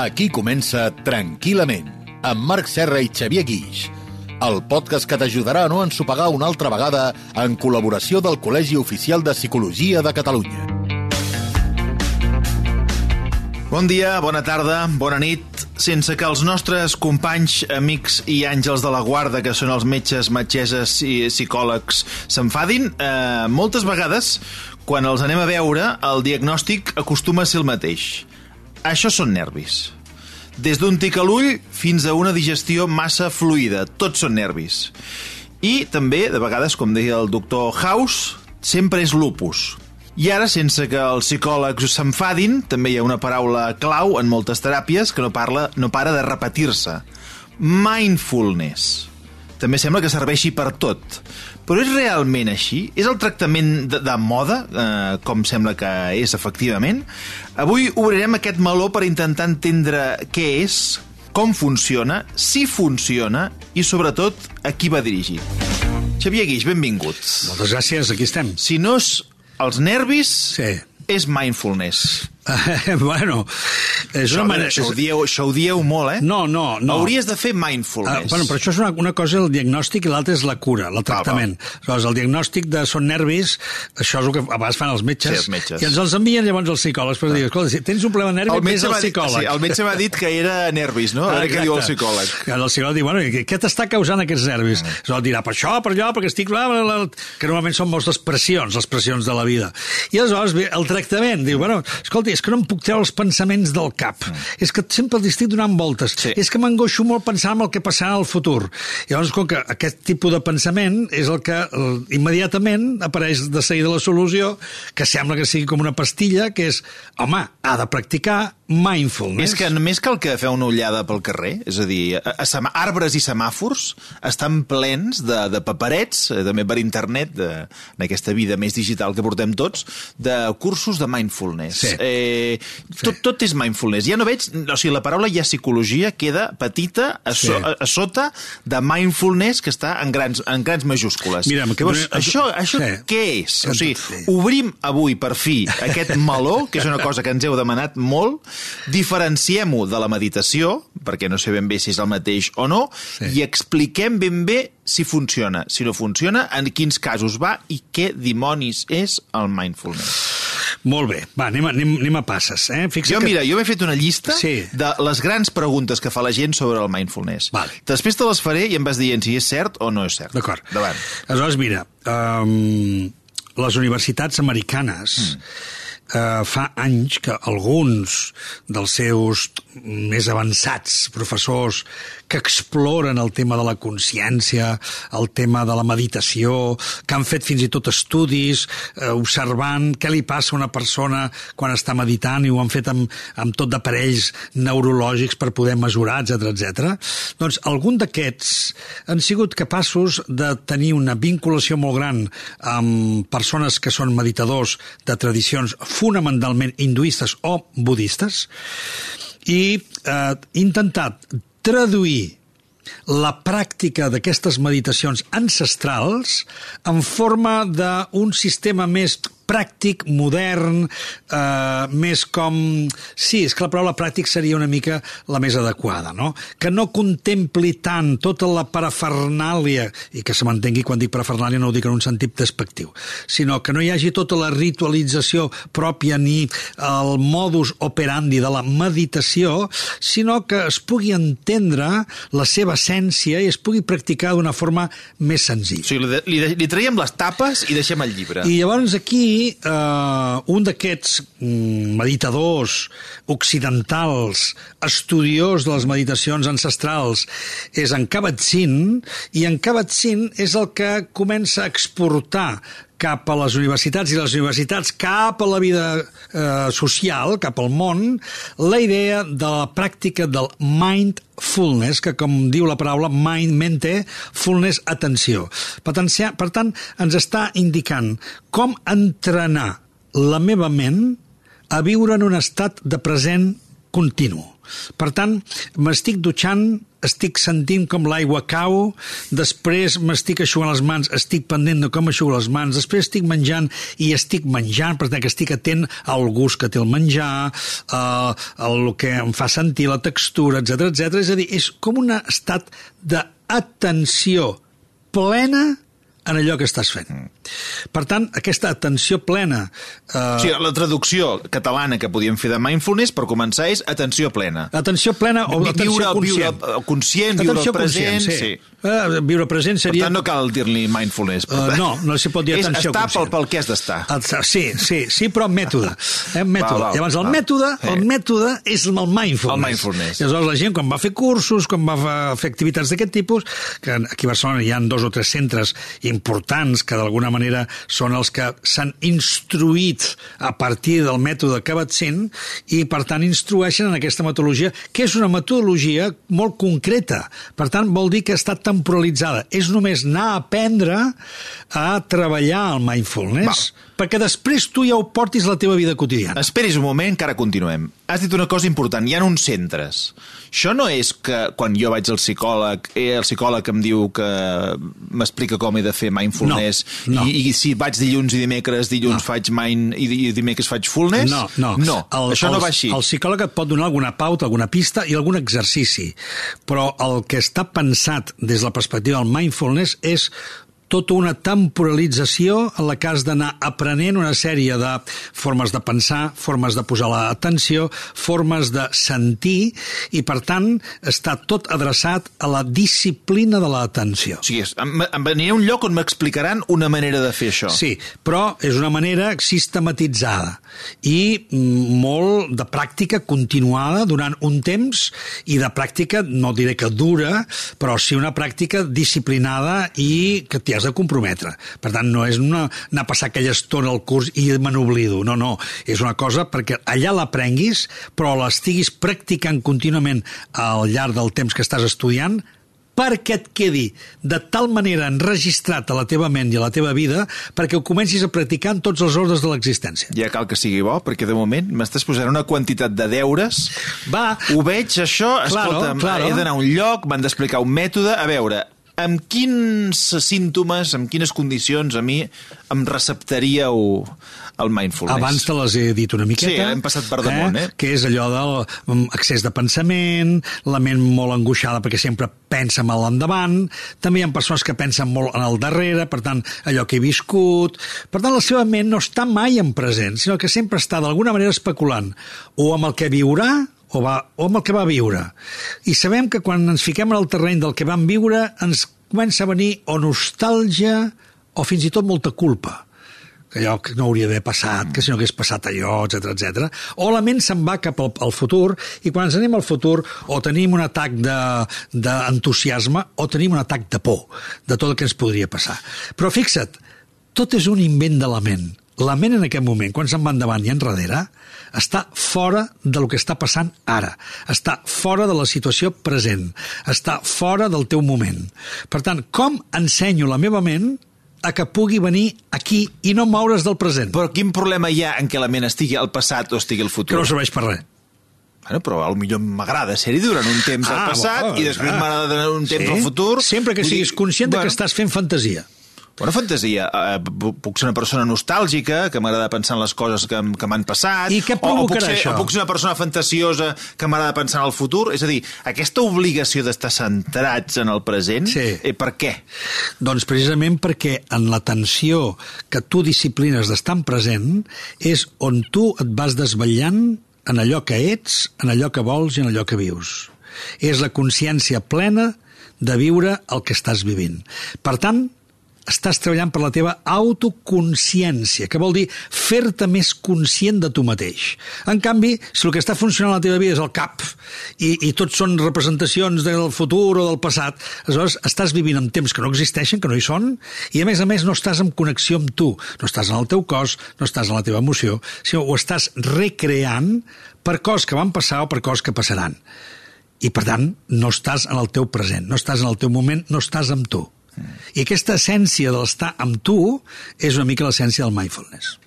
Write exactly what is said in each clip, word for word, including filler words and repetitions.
Aquí comença Tranquil·lament, amb Marc Serra i Xavier Guix, el podcast que t'ajudarà a no ensopegar una altra vegada en col·laboració del Col·legi Oficial de Psicologia de Catalunya. Bon dia, bona tarda, bona nit. Sense que els nostres companys, amics i àngels de la guarda, que són els metges, metgesses i psicòlegs, s'enfadin, eh, moltes vegades, quan els anem a veure, el diagnòstic acostuma a ser el mateix. Això són nervis. Des d'un tic a l'ull fins a una digestió massa fluida. Tots són nervis. I també, de vegades, com deia el doctor House, sempre és lupus. I ara, sense que els psicòlegs s'enfadin, també hi ha una paraula clau en moltes teràpies que no, parla, no para de repetir-se. Mindfulness. També sembla que serveixi per tot. Però és realment així? És el tractament de, de moda, eh, com sembla que és efectivament? Avui obrirem aquest meló per intentar entendre què és, com funciona, si funciona i, sobretot, a qui va dirigit. Xavier Guix, benvingut. Moltes gràcies, aquí estem. Si no és els nervis, sí. És mindfulness. Uh, bueno, és això, una manera... això, ho dieu, això ho dieu molt, eh? No, no, no. Hauries de fer mindfulness. Uh, bueno, però això és una, una cosa, el diagnòstic, i l'altra és la cura, el tractament. Ah, Llavors, el diagnòstic de són nervis, això és el que a vegades fan els metges, sí, els metges. I ens els envien llavors els psicòlegs per ah. dir, escolta, si tens un problema de nervis, vés al psicòleg. Sí, el metge m'ha dit que era nervis, no? A veure què diu el psicòleg. El psicòleg diu, bueno, què t'està causant aquests nervis? Mm. Aleshores dirà, per això, per allò, perquè estic... Bla, bla, bla, que normalment són moltes pressions, les pressions de la vida. I aleshores ve el tractament, diu, bueno, escolta, és que no em puc treure els pensaments del cap. Mm. És que sempre els estic donant voltes. Sí. És que m'angoixo molt pensant en el que passarà al futur. I llavors, com que aquest tipus de pensament és el que eh, immediatament apareix de seguida la solució, que sembla que sigui com una pastilla, que és, home, ha de practicar mindfulness. És que només cal que feu una ullada pel carrer, és a dir, a, a, a arbres i semàfors estan plens de, de paperets, eh, també per internet, de, en aquesta vida més digital que portem tots, de cursos de mindfulness. Sí. Eh, tot, tot és mindfulness. Ja no veig... O sigui, la paraula ja psicologia queda petita a, so, sí. a, a sota de mindfulness, que està en grans, en grans majúscules. Mira, Llavors, que... això, això sí. Què és? O sigui, obrim avui, per fi, aquest meló, que és una cosa que ens heu demanat molt, diferenciem-ho de la meditació, perquè no sé ben bé si és el mateix o no, sí. I expliquem ben bé si funciona, si no funciona, en quins casos va i què dimonis és el mindfulness. Molt bé, va, anem a, anem, anem a passes. Eh? Jo, que... mira, jo m'he fet una llista sí. de les grans preguntes que fa la gent sobre el mindfulness. Vale. Després te les faré i em vas dient si és cert o no és cert. D'acord. Davant. Aleshores, mira, um, les universitats americanes mm. uh, fa anys que alguns dels seus més avançats professors que exploren el tema de la consciència, el tema de la meditació, que han fet fins i tot estudis eh, observant què li passa a una persona quan està meditant, i ho han fet amb, amb tot d'aparells neurològics per poder mesurar, etcètera, etcètera. Doncs algun d'aquests han sigut capaços de tenir una vinculació molt gran amb persones que són meditadors de tradicions fonamentalment hinduistes o budistes, i eh, intentat traduir la pràctica d'aquestes meditacions ancestrals en forma d'un sistema més pràctic, modern, eh, més com... Sí, és que la paraula pràctic seria una mica la més adequada, no? Que no contempli tant tota la parafernàlia, i que se m'entengui quan dic parafernàlia no ho dic en un sentit despectiu, sinó que no hi hagi tota la ritualització pròpia ni el modus operandi de la meditació, sinó que es pugui entendre la seva essència i es pugui practicar d'una forma més senzilla. O sigui, li, li, li traiem les tapes i deixem el llibre. I llavors aquí Uh, un d'aquests mm, meditadors occidentals, estudiós de les meditacions ancestrals, és en Kabat-Zinn, i en Kabat-Zinn és el que comença a exportar cap a les universitats i les universitats cap a la vida eh, social, cap al món, la idea de la pràctica del mindfulness, que com diu la paraula mind, mente, fullness, atenció. Per tant, per tant, ens està indicant com entrenar la meva ment a viure en un estat de present continu. Per tant, m'estic dutxant, estic sentint com l'aigua cau, després m'estic eixugant les mans, estic pendent de com eixugo les mans, després estic menjant i estic menjant, per tant que estic atent al gust que té el menjar, a, a el que em fa sentir, la textura, etcètera, etcètera. És a dir, és com un estat d'atenció plena en allò que estàs fent. Per tant, aquesta atenció plena... Eh... O sigui, la traducció catalana que podíem fer de mindfulness, per començar, és atenció plena. Atenció plena o viure, atenció conscient. Viure conscient, viure el present... Conscient, sí. sí. Uh, viure present seria... Per tant, no cal dir-li mindfulness. Uh, no, no s'hi pot dir atenció és estar conscient. pel, pel que has d'estar. Sí, sí, sí, però mètode. Eh, mètode. Val, val, Llavors, el val. mètode, el sí. mètode és el mindfulness. El mindfulness. Llavors, la gent, quan va fer cursos, quan va fer activitats d'aquest tipus, que aquí a Barcelona hi ha dos o tres centres importants que d'alguna manera són els que s'han instruït a partir del mètode que vaig sent i, per tant, instrueixen en aquesta metodologia, que és una metodologia molt concreta. Per tant, vol dir que està temporalitzada. És només anar a aprendre a treballar el mindfulness, Val. perquè després tu ja ho portis a la teva vida quotidiana. Esperis un moment, que ara continuem. Has dit una cosa important, hi ha uns centres. Això no és que quan jo vaig al psicòleg, eh, el psicòleg em diu que m'explica com he de fer mindfulness, no, no. I, i si vaig dilluns i dimecres, dilluns no. faig mind i, i dimecres faig fullness? No, no. no el, això el, no va així. El psicòleg et pot donar alguna pauta, alguna pista i algun exercici, però el que està pensat des de la perspectiva del mindfulness és tota una temporalització en la que has d'anar aprenent una sèrie de formes de pensar, formes de posar l'atenció, formes de sentir, i per tant està tot adreçat a la disciplina de l'atenció. O sigui, em, em aniré a un lloc on m'explicaran una manera de fer això. Sí, però és una manera sistematitzada i molt de pràctica continuada durant un temps, i de pràctica, no diré que dura, però sí una pràctica disciplinada i que t'hi has de comprometre. Per tant, no és una, anar a passar aquella estona al curs i me n'oblido. No, no. És una cosa perquè allà l'aprenguis, però l'estiguis practicant contínuament al llarg del temps que estàs estudiant, perquè et quedi de tal manera enregistrat a la teva ment i a la teva vida perquè ho comencis a practicar en tots els ordres de l'existència. Ja cal que sigui bo, perquè de moment m'estàs posant una quantitat de deures. Va. Ho veig, això, claro, escolta'm, claro. He d'anar a un lloc, m'han d'explicar un mètode. A veure, amb quins símptomes, amb quines condicions a mi em receptaríeu el mindfulness? Abans te les he dit una miqueta. Sí, hem passat per damunt, eh? eh? Que és allò del excés de pensament, la ment molt angoixada perquè sempre pensa mal endavant, també hi ha persones que pensen molt en el darrere, per tant, allò que he viscut. Per tant, la seva ment no està mai en present, sinó que sempre està d'alguna manera especulant o amb el que viurà o, va, o amb el que va viure. I sabem que quan ens fiquem en el terreny del que vam viure ens comença a venir o nostàlgia o fins i tot molta culpa, que allò que no hauria d'haver passat, que si no hagués passat allò, etcètera, etcètera. O la ment se'n va cap al, al futur, i quan ens anem al futur o tenim un atac d'entusiasme o tenim un atac de por de tot el que ens podria passar. Però fixa't, tot és un invent de la ment. La ment en aquest moment, quan se'n va endavant i enrere, està fora del que està passant ara. Està fora de la situació present. Està fora del teu moment. Per tant, com ensenyo la meva ment a que pugui venir aquí i no moure's del present? Però quin problema hi ha en què la ment estigui al passat o estigui al futur? Que no serveix per res. Bueno, però potser m'agrada ser-hi durant un temps ah, al passat bo, i després ah. m'agrada un temps sí? al futur. Sempre que siguis conscient bueno. de que estàs fent fantasia. Bona fantasia. Uh, puc ser una persona nostàlgica, que m'agrada pensar en les coses que, que m'han passat. I què provocarà o, o puc ser, això? O puc ser una persona fantasiosa que m'agrada pensar en el futur. És a dir, aquesta obligació d'estar centrats en el present, sí. eh, per què? Doncs precisament perquè en l'atenció que tu disciplines d'estar en present és on tu et vas desvetllant en allò que ets, en allò que vols i en allò que vius. És la consciència plena de viure el que estàs vivint. Per tant, estàs treballant per la teva autoconsciència, que vol dir fer-te més conscient de tu mateix. En canvi, si el que està funcionant a la teva vida és el cap i, i tots són representacions del futur o del passat, aleshores estàs vivint en temps que no existeixen, que no hi són, i a més a més no estàs en connexió amb tu, no estàs en el teu cos, no estàs en la teva emoció, sinó ho estàs recreant per coses que van passar o per coses que passaran. I per tant, no estàs en el teu present, no estàs en el teu moment, no estàs amb tu. I aquesta essència de l'estar amb tu és una mica l'essència del mindfulness.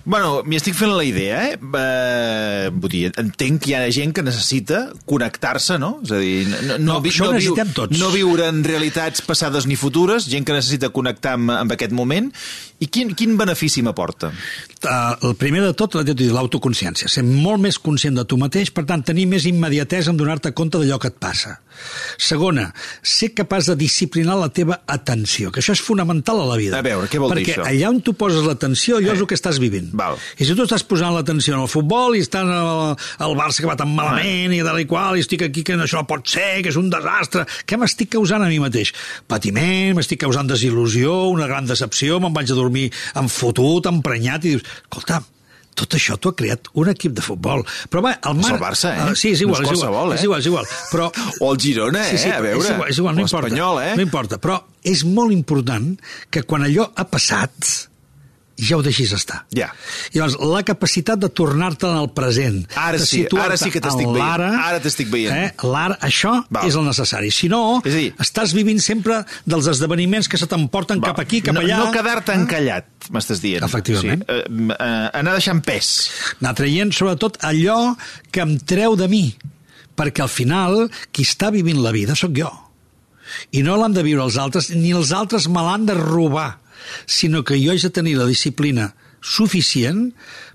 Bueno, m'hi estic fent la idea, eh? Uh, eh, vull dir, entenc que hi ha gent que necessita connectar-se, no? És a dir, no, no, No, vi, això no, ho viu, necessitem tots. no viure en realitats passades ni futures, gent que necessita connectar amb, amb aquest moment. I quin, quin benefici m'aporta? Uh, el primer de tot, l'autoconsciència. Ser molt més conscient de tu mateix, per tant, tenir més immediatesa en donar-te compte d'allò que et passa. Segona, ser capaç de disciplinar la teva atenció, que això és fonamental a la vida. A veure, què vol dir Perquè això? allà on tu poses l'atenció, allò Eh. és el que estàs vivint. Val. I si tu estàs posant l'atenció en el futbol i estàs al, al Barça que va tan malament i tal i qual, i estic aquí que això no pot ser, que és un desastre, què m'estic causant a mi mateix? Patiment, m'estic causant desil·lusió, una gran decepció, me'n vaig a dormir enfotut, emprenyat, i dius, escolta, tot això t'ho ha creat un equip de futbol. Però va, el És mar... el Barça, eh? Uh, sí, és igual, No és és, igual, qualsevol, eh? és igual, és igual. Però... O el Girona, sí, sí, eh? A veure. És igual, és igual, no O importa. l'Espanyol, eh? No importa, però és molt important que quan allò ha passat ja ho deixis estar. Ja. I llavors, la capacitat de tornar-te en el present, Ara de sí, ara sí que t'estic en veient. l'ara, Ara t'estic veient. Eh, l'ara, això Val. és el necessari. Si no, És a dir, estàs vivint sempre dels esdeveniments que se t'emporten cap aquí, cap no, allà. No quedar-te encallat, m'estàs dient. Efectivament. Sí, eh, eh, anar deixant pes. Anar traient, sobretot, allò que em treu de mi. Perquè al final, qui està vivint la vida sóc jo. I no l'han de viure els altres, ni els altres me l'han de robar, sinó que jo haig de tenir la disciplina suficient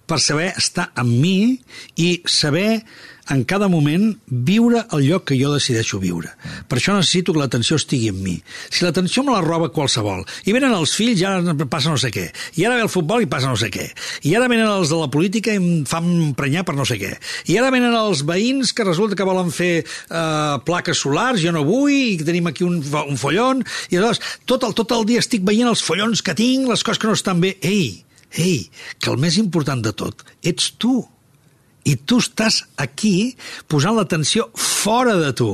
per saber estar amb mi i saber en cada moment viure el lloc que jo decideixo viure. Per això necessito que l'atenció estigui en mi. Si l'atenció me la roba qualsevol, i venen els fills i ara passa no sé què, i ara ve el futbol i passa no sé què, i ara venen els de la política i em fan emprenyar per no sé què, i ara venen els veïns que resulta que volen fer eh, plaques solars, jo no vull, i tenim aquí un, un follon, i llavors tot el, tot el dia estic veient els follons que tinc, les coses que no estan bé. Ei, ei, que el més important de tot ets tu. I tu estàs aquí posant l'atenció fora de tu.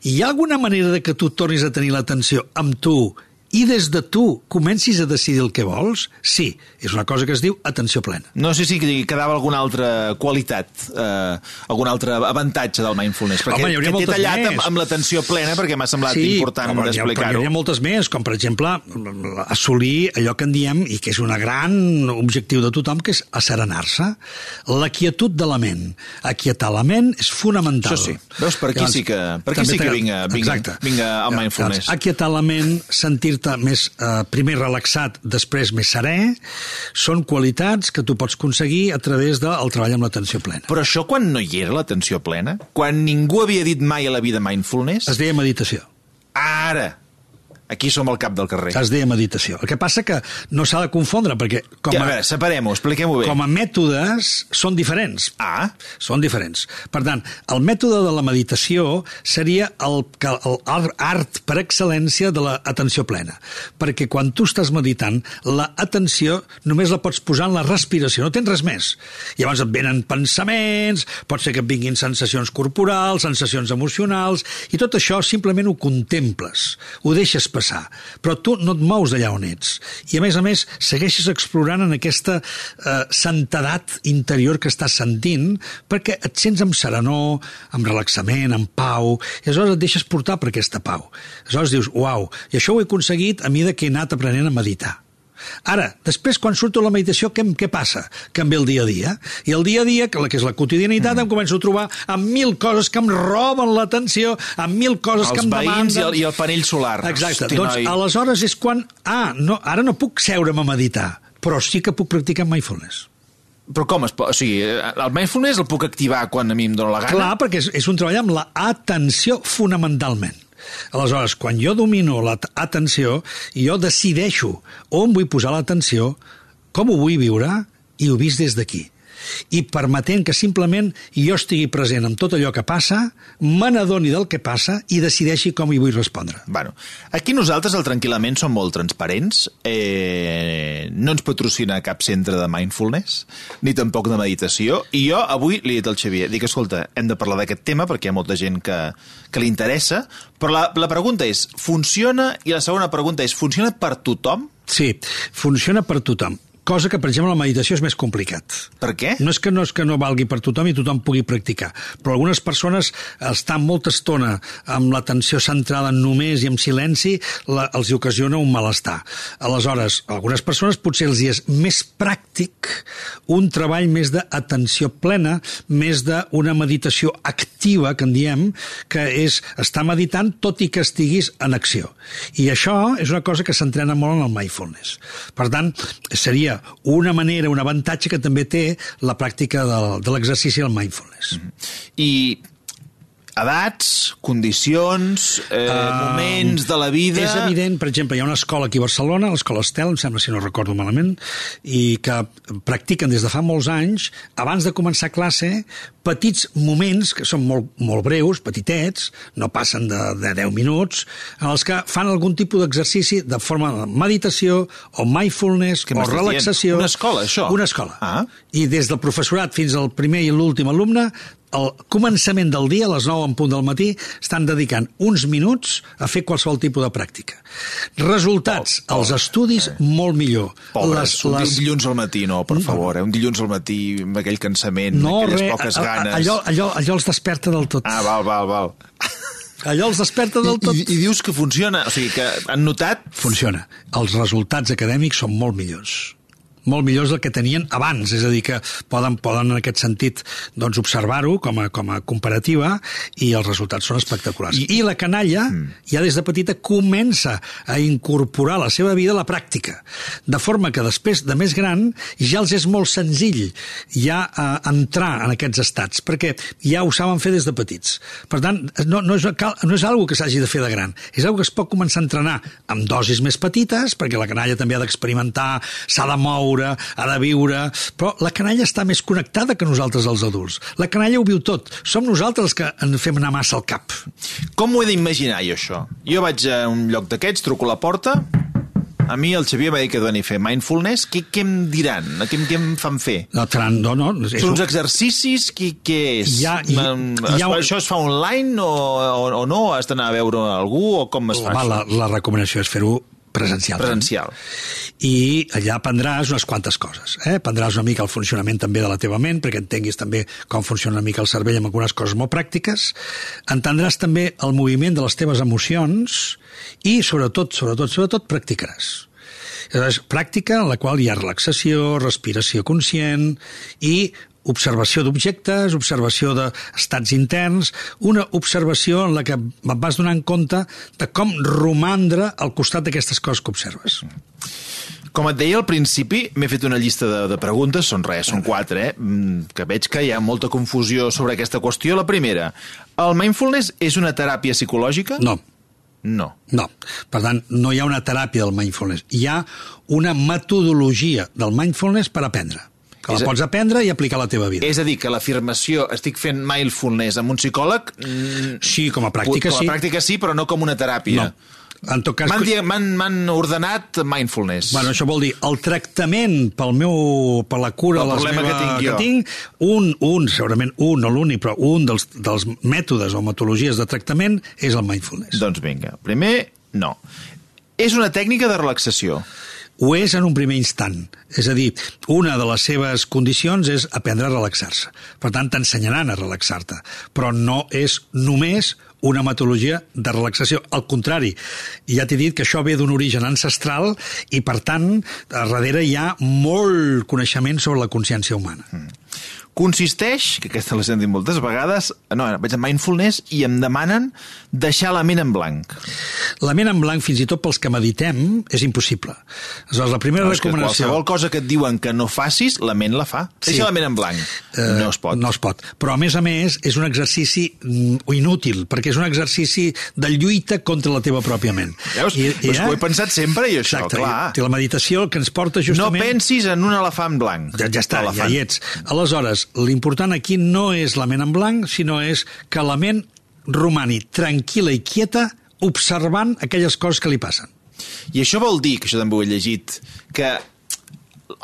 I hi ha alguna manera de que tu tornis a tenir l'atenció amb tu i des de tu comencis a decidir el que vols? Sí, és una cosa que es diu atenció plena. No sé si quedava alguna altra qualitat, eh, algun altre avantatge del mindfulness, perquè Home, hi hauria que t'he moltes tallat més. amb, amb l'atenció plena perquè m'ha semblat Sí, important home, hi ha- però hi explicar-ho. hauria moltes més, com per exemple assolir allò que en diem i que és un gran objectiu de tothom, que és asserenar-se. La quietud de la ment. Aquietar la ment és fonamental. Això sí. Veus, per aquí sí que- per aquí també sí que t'agrada. vinga- vinga- Exacte. vinga el mindfulness. Llavors, aquietar la ment, sentir-te més, eh, primer relaxat, després més serè, són qualitats que tu pots aconseguir a través del treball amb l'atenció plena. Però això quan no hi era l'atenció plena? Quan ningú havia dit mai a la vida mindfulness? Es deia meditació. Ara! Aquí som al cap del carrer. Es deia meditació. El que passa que no s'ha de confondre, perquè com Ja, a, a veure, separem-ho, expliquem-ho bé. com a mètodes són diferents. Ah, Són diferents. Per tant, el mètode de la meditació seria el, el art per excel·lència de l'atenció plena. Perquè quan tu estàs meditant, l'atenció només la pots posar en la respiració, no tens res més. Llavors et venen pensaments, pot ser que et vinguin sensacions corporals, sensacions emocionals, i tot això simplement ho contemples, ho deixes passar, però tu no et mous d'allà on ets. I a més a més, segueixes explorant en aquesta eh, santedat interior que estàs sentint, perquè et sents amb serenor, amb relaxament, amb pau, i aleshores et deixes portar per aquesta pau. Aleshores dius, uau, i això ho he aconseguit a mesura que he anat aprenent a meditar. Ara, després, quan surto a la meditació, què, què passa? Que em ve el dia a dia. I el dia a dia, que, la, que és la quotidianitat, mm. em començo a trobar amb mil coses que em roben l'atenció, amb mil coses els que em demanden... veïns i el, i el panell solar. Exacte. Hosti, doncs noi. aleshores és quan... Ah, no, ara no puc seure'm a meditar, però sí que puc practicar mindfulness. Però com es pot... O sigui, el mindfulness el puc activar quan a mi em dóna la gana? Clar, perquè és, és un treball amb l'atenció fonamentalment. Aleshores, quan jo domino l'atenció, jo decideixo on vull posar l'atenció, com ho vull viure, i ho visc des d'aquí. I permetent que simplement jo estigui present amb tot allò que passa, me n'adoni del que passa i decideixi com hi vull respondre. Bueno, aquí nosaltres, al Tranquil·lament, som molt transparents. Eh, no ens patrocina cap centre de mindfulness, ni tampoc de meditació. I jo avui li he dit al Xavier, dic, escolta, hem de parlar d'aquest tema perquè hi ha molta gent que, que li interessa, però la, la pregunta és, funciona? I la segona pregunta és, funciona per tothom? Sí, funciona per tothom. cosa que, per exemple, la meditació és més complicat. Per què? No és que no, és que no valgui per tothom i tothom pugui practicar, però algunes persones estan molta estona amb l'atenció centrada només i en silenci, la, els hi ocasiona un malestar. Aleshores, a algunes persones potser els hi és més pràctic un treball més d'atenció plena, més d'una meditació activa, que en diem, que és estar meditant tot i que estiguis en acció. I això és una cosa que s'entrena molt en el mindfulness. Per tant, seria una manera, un avantatge que també té la pràctica de, de l'exercici del mindfulness. I edats, condicions, eh, uh, moments de la vida... És evident, per exemple, hi ha una escola aquí a Barcelona, l'escola Estel, em sembla, si no recordo malament, i que practiquen des de fa molts anys, abans de començar classe, petits moments, que són molt, molt breus, petitets, no passen de, de deu minuts, en els que fan algun tipus d'exercici de forma de meditació o mindfulness o relaxació. Una escola, això? Una escola. Ah. I des del professorat fins al primer i l'últim alumne, al començament del dia, a les nou en punt del matí, estan dedicant uns minuts a fer qualsevol tipus de pràctica. Resultats, oh, oh, els estudis, eh. molt millor. Pobres, les, un les... dilluns al matí, no, per favor, eh? Un dilluns al matí amb aquell cansament, no, aquelles re, poques a, a, ganes... Allò, allò, allò els desperta del tot. Ah, val, val, val. Allò els desperta del tot. I, i, I dius que funciona, o sigui, que han notat... Funciona. Els resultats acadèmics són molt millors. molt millors del que tenien abans, és a dir, que poden, poden en aquest sentit doncs, observar-ho com a, com a comparativa i els resultats són espectaculars. I, I la canalla mm. ja des de petita comença a incorporar a la seva vida la pràctica, de forma que després de més gran ja els és molt senzill ja a entrar en aquests estats, perquè ja ho saben fer des de petits. Per tant, no, no, és, no és algo que s'hagi de fer de gran, és algo que es pot començar a entrenar amb dosis més petites, perquè la canalla també ha d'experimentar, s'ha de moure, ha de viure, però la canalla està més connectada que nosaltres els adults. La canalla ho viu tot. Som nosaltres els que en fem anar massa al cap. Com ho he d'imaginar jo, això? Jo vaig a un lloc d'aquests, truco a la porta, a mi el Xavier m'ha dit que doni a fer mindfulness, què, què em diran? Què, què em fan fer? No, no, no. Són uns exercicis? Què, què és? Ja, ja, es, ja, això es fa online o, o, o no? Has d'anar a veure algú o com es fa home, això? La, la recomanació és fer-ho presencial. Presencial. I allà aprendràs unes quantes coses. Eh? Aprendràs una mica el funcionament també de la teva ment, perquè entenguis també com funciona una mica el cervell amb algunes coses molt pràctiques. Entendràs també el moviment de les teves emocions i, sobretot, sobretot, sobretot, practicaràs. És pràctica en la qual hi ha relaxació, respiració conscient i observació d'objectes, observació d'estats interns, una observació en la que et vas donant compte de com romandre al costat d'aquestes coses que observes. Com et deia al principi, m'he fet una llista de, de preguntes, són res, són quatre, eh? Que veig que hi ha molta confusió sobre aquesta qüestió. La primera, el mindfulness és una teràpia psicològica? No. No. No. Per tant, no hi ha una teràpia del mindfulness. Hi ha una metodologia del mindfulness per aprendre. Que la pots aprendre i aplicar a la teva vida. És a dir, que l'afirmació estic fent mindfulness amb un psicòleg... Sí, com a pràctica sí. Com a pràctica sí, però no com una teràpia. No. En tot cas... M'han ordenat mindfulness. Bueno, això vol dir, el tractament pel meu, per la cura el les problema meva, que tinc jo. Que tinc, un, un, segurament un, no l'únic, però un dels, dels mètodes o metodologies de tractament és el mindfulness. Doncs vinga, primer, no. És una tècnica de relaxació. Ho és en un primer instant. És a dir, una de les seves condicions és aprendre a relaxar-se. Per tant, t'ensenyaran a relaxar-te. Però no és només una metodologia de relaxació. Al contrari, ja t'he dit que això ve d'un origen ancestral i, per tant, a darrere hi ha molt coneixement sobre la consciència humana. Mm. Consisteix, que aquesta l'he sentit moltes vegades, no, vaig a mindfulness i em demanen deixar la ment en blanc. La ment en blanc, fins i tot pels que meditem, és impossible. Aleshores, la primera no, recomanació... Qualsevol cosa que et diuen que no facis, la ment la fa. Deixa sí. la ment en blanc. Uh, no es pot. No es pot. Però, a més a més, és un exercici inútil, perquè és un exercici de lluita contra la teva pròpia ment. Veus? I, i, eh? Ho he pensat sempre, i això, exacte, clar. I la meditació que ens porta justament... No pensis en un elefant blanc. Ja, ja està, elefant. Ja hi ets. Aleshores, l'important aquí no és la ment en blanc, sinó és que la ment romani tranquil·la i quieta observant aquelles coses que li passen. I això vol dir, que això també ho he llegit, que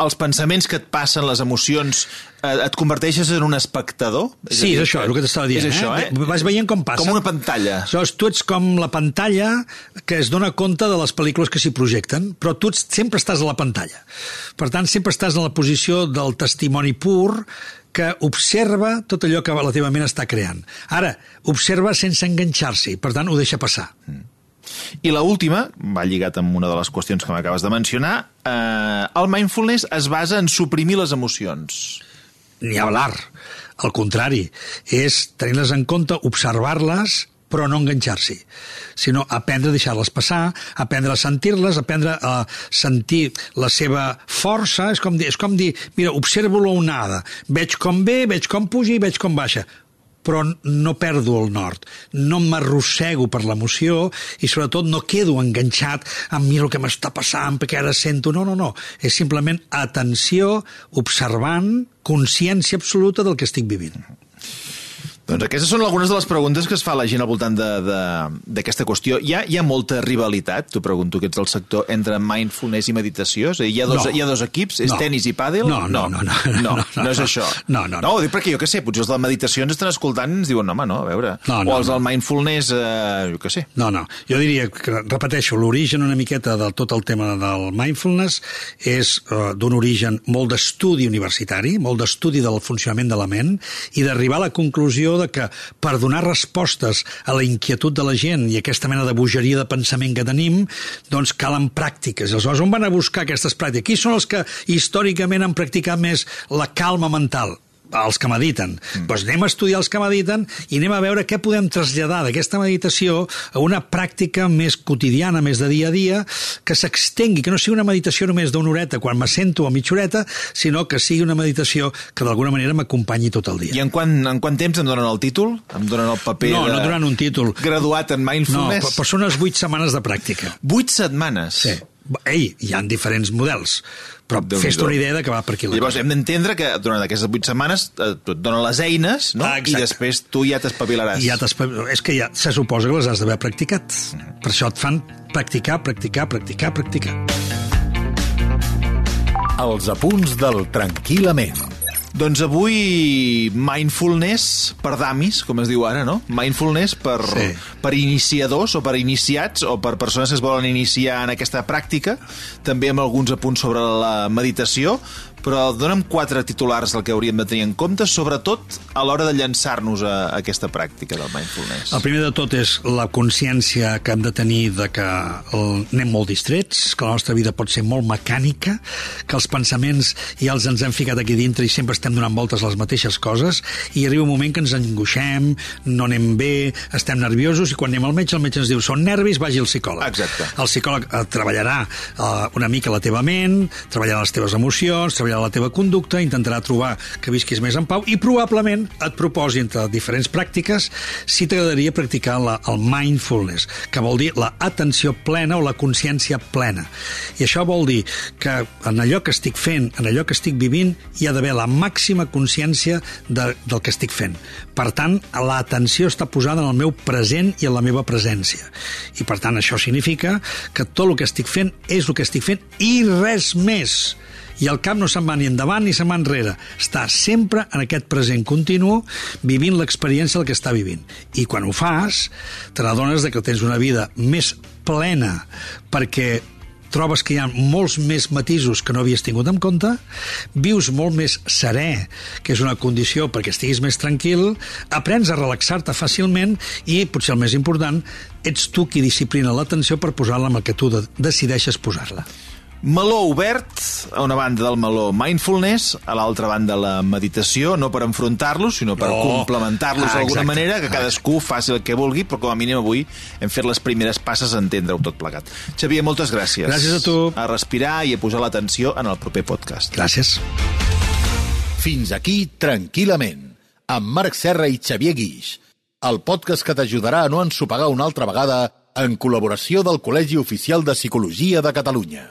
els pensaments que et passen, les emocions, eh, et converteixes en un espectador? És Sí, dir, és això, és el que t'estava dient. És això, eh? eh? Vas veient com passa. Com una pantalla. Aleshores, tu ets com la pantalla que es dona compte de les pel·lícules que s'hi projecten, però tu sempre estàs a la pantalla. Per tant, sempre estàs en la posició del testimoni pur que observa tot allò que la teva ment està creant. Ara, observa sense enganxar-s'hi, per tant, ho deixa passar. Mm. I la última, va lligat amb una de les qüestions que m'acabes de mencionar, eh, el mindfulness es basa en suprimir les emocions. Ni hablar. Al contrari, és tenir-les en compte, observar-les, però no enganxar-s'hi, sinó aprendre a deixar-les passar, aprendre a sentir-les, aprendre a sentir la seva força. És com dir, és com dir mira, observo la onada, veig com ve, veig com puja i veig com baixa, però no perdo el nord, no m'arrossego per l'emoció i sobretot no quedo enganxat amb mira el que m'està passant perquè ara sento. No, no, no, és simplement atenció, observant, consciència absoluta del que estic vivint. Doncs aquestes són algunes de les preguntes que es fa la gent al voltant d'aquesta qüestió. Hi ha, hi ha molta rivalitat, t'ho pregunto, que ets del sector, entre mindfulness i meditació? És a dir, hi ha dos, no. hi ha dos equips? És no. tenis i pàdel? No, no, no. No, no, no, no, no, no és això. No, no, no. No, ho dic perquè jo què sé, potser els de la meditació ens estan escoltant i ens diuen, home, no, a veure. No, no, o els no. del mindfulness, eh, jo què sé. No, no. Jo diria que, repeteixo, l'origen una miqueta de tot el tema del mindfulness és uh, d'un origen molt d'estudi universitari, molt d'estudi del funcionament de la ment i d'arribar a la conclusió de que per donar respostes a la inquietud de la gent i aquesta mena de bogeria de pensament que tenim, doncs calen pràctiques. Aleshores, on van a buscar aquestes pràctiques? Qui són els que històricament han practicat més la calma mental? Els que mediten. Mm. Doncs anem a estudiar els que mediten i anem a veure què podem traslladar d'aquesta meditació a una pràctica més quotidiana, més de dia a dia, que s'extengui, que no sigui una meditació només d'una horeta quan m'assento a mitja horeta, sinó que sigui una meditació que d'alguna manera m'acompanyi tot el dia. I en quant, en quant temps em donen el títol? Em donen el paper no, de... No, no donen un títol. Graduat en mindfulness? No, però són unes vuit setmanes de pràctica. Vuit setmanes? Sí. Ei, hi ha diferents models, però fes-te una idea de que va per aquí la Llavors cosa. hem d'entendre que durant aquestes vuit setmanes et donen les eines, no? Ah, I després tu ja t'espavilaràs. Ja és que ja se suposa que les has d'haver practicat. Mm. Per això et fan practicar, practicar, practicar, practicar. Els apunts del Tranquil·lament. Doncs avui mindfulness per damis, com es diu ara, no? Mindfulness per, sí. per iniciadors o per iniciats o per persones que es volen iniciar en aquesta pràctica, també amb alguns apunts sobre la meditació, però dona'm quatre titulars del que hauríem de tenir en compte, sobretot a l'hora de llançar-nos a aquesta pràctica del mindfulness. El primer de tot és la consciència que hem de tenir de que anem molt distrets, que la nostra vida pot ser molt mecànica, que els pensaments ja els ens hem ficat aquí dintre i sempre estem donant voltes a les mateixes coses i arriba un moment que ens angoixem, no anem bé, estem nerviosos i quan anem al metge, el metge ens diu són nervis, vagi al psicòleg. Exacte. El psicòleg eh, treballarà eh, una mica la teva ment, treballarà les teves emocions, treballarà la teva conducta, intentarà trobar que visquis més en pau i probablement et proposi entre diferents pràctiques si t'agradaria practicar la, el mindfulness, que vol dir la atenció plena o la consciència plena. I això vol dir que en allò que estic fent, en allò que estic vivint, hi ha d'haver la màxima consciència de, del que estic fent. Per tant, l'atenció està posada en el meu present i en la meva presència. I per tant, això significa que tot el que estic fent és el que estic fent i res més. I el cap no se'n va ni endavant ni se'n va enrere. Està sempre en aquest present continu vivint l'experiència del que està vivint. I quan ho fas, te n'adones que tens una vida més plena perquè trobes que hi ha molts més matisos que no havies tingut en compte, vius molt més serè, que és una condició perquè estiguis més tranquil, aprens a relaxar-te fàcilment i, potser el més important, ets tu qui disciplina l'atenció per posar-la amb el que tu decideixes posar-la. Meló obert, a una banda del meló mindfulness, a l'altra banda la meditació, no per enfrontar-los, sinó per no. complementar-los ah, d'alguna manera, que cadascú faci el que vulgui, però com a mínim avui hem fet les primeres passes a entendre-ho tot plegat. Xavier, moltes gràcies. Gràcies a tu. A respirar i a posar l'atenció en el proper podcast. Gràcies. Fins aquí Tranquil·lament, amb Marc Serra i Xavier Guix, el podcast que t'ajudarà a no ensopegar una altra vegada en col·laboració del Col·legi Oficial de Psicologia de Catalunya.